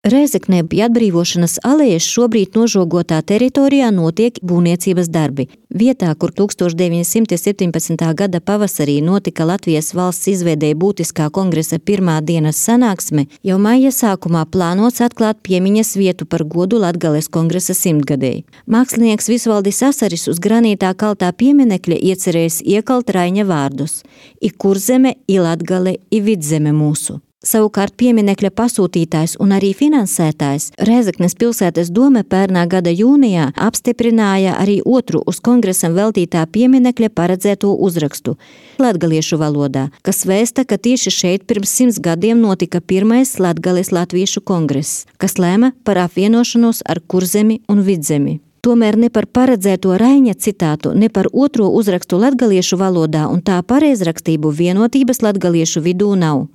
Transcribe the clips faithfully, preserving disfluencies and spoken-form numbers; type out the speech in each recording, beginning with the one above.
Rēzeknē pie atbrīvošanas alejas šobrīd nožogotā teritorijā notiek būvniecības darbi. Vietā, kur tūkstoš deviņi simti septiņpadsmitā gada pavasarī notika Latvijas valsts izveidē būtiskā kongresa pirmā dienas sanāksme, jau maija sākumā plānots atklāt piemiņas vietu par godu Latgales kongresa simtgadēji. Mākslinieks Visvaldis Asaris uz granītā kaltā pieminekļa iecerējis iekalt Raiņa vārdus – I Kurzeme, I Latgale, I Vidzeme mūsu. Savukārt pieminekļa pasūtītājs un arī finansētājs Rēzeknes pilsētas dome pērnā gada jūnijā apstiprināja arī otru uz kongresam veltītā pieminekļa paredzēto uzrakstu latgaliešu valodā, kas vēsta, ka tieši šeit pirms simts gadiem notika pirmais Latgales latviešu kongress, kas lēma par apvienošanos ar Kurzemi un Vidzemi. Tomēr ne par paredzēto Raiņa citātu, ne par otro uzrakstu latgaliešu valodā un tā pareizrakstību vienotības latgaliešu vidū nav.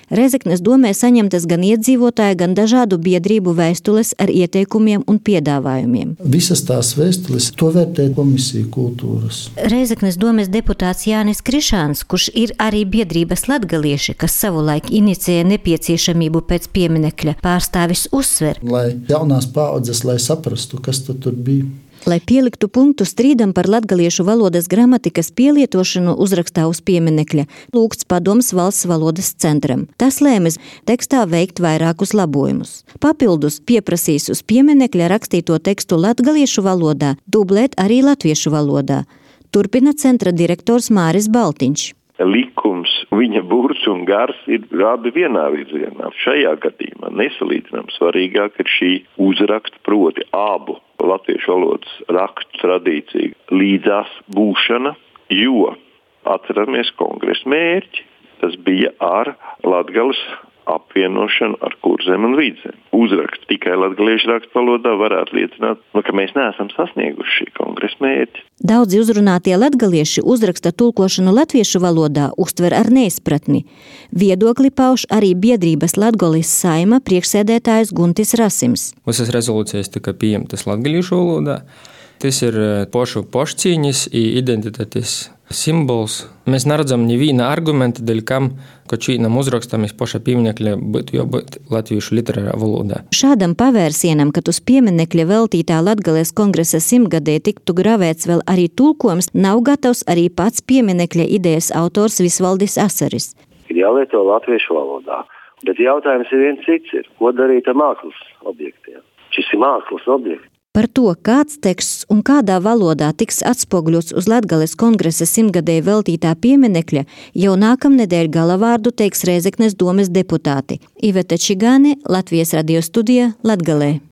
Rēzeknes domē saņemtas gan iedzīvotāju, gan dažādu biedrību vēstules ar ieteikumiem un piedāvājumiem. Visas tās vēstules to vērtē komisija kultūras. Rēzeknes domes deputāts Jānis Krišāns, kurš ir arī biedrības latgalieši, kas savulaik inicēja nepieciešamību pēc pieminekļa, pārstāvis uzsver. Lai jaunās paaudzes, lai saprastu, kas tad tur bija. Lai pieliktu punktu strīdam par latgaliešu valodas gramatikas pielietošanu uzrakstā uz pieminekļa, lūgts padoms valsts valodas centram. Tas lēmis tekstā veikt vairākus labojumus. Papildus pieprasīs uz pieminekļa rakstīto tekstu latgaliešu valodā, dublēt arī latviešu valodā. Turpina centra direktors Māris Baltiņš. Likums, viņa burts un gars ir abi vienā virzienā. Šajā gadījumā nesalīdzinām svarīgāk ir šī uzraksta, proti abu latviešu valodas rakstu tradīcija līdzās būšana, jo atceramies kongresa mērķi. Tas bija ar Latgales apvienošanu ar Kurzemi un Vidzemi. Uzraksts tikai latgaliešu rakstu valodā varētu liecināt, nu, ka mēs neesam sasnieguši šī kongresa mērķi. Daudzi uzrunātie latgalieši uzraksta tulkošanu latviešu valodā uztver ar neizpratni. Viedokli pauž arī biedrības Latgales saima priekšsēdētājs Guntis Rasims. Visas rezolūcijas tika pieņemtas latgaliešu valodā. Tas ir pošu pošcīņas un identitātes simbols. Mēs neredzam neviena argumenta, dēļ kam, ka šīnam uzrakstam iz poša pieminekļa būtu jābūt latviešu literārā valodā. Šādam pavērsienam, kad uz pieminekļa veltītā Latgales kongresa simtgadē tiktu gravēts vēl arī tulkojums, nav gatavs arī pats pieminekļa idejas autors Visvaldis Asaris. Ir jālieto latviešu valodā, bet jautājums ir viens cits ir, ko darīt ar mākslas objektiem. Šis ir mākslas objekts. Par to, kāds teksts un kādā valodā tiks atspoguļots uz Latgales kongresa simtgadē veltītā pieminekļa, jau nākamnedēļ galavārdu teiks Rēzeknes domes deputāti. Iveta Čigāne, Latvijas radio studija, Latgalē.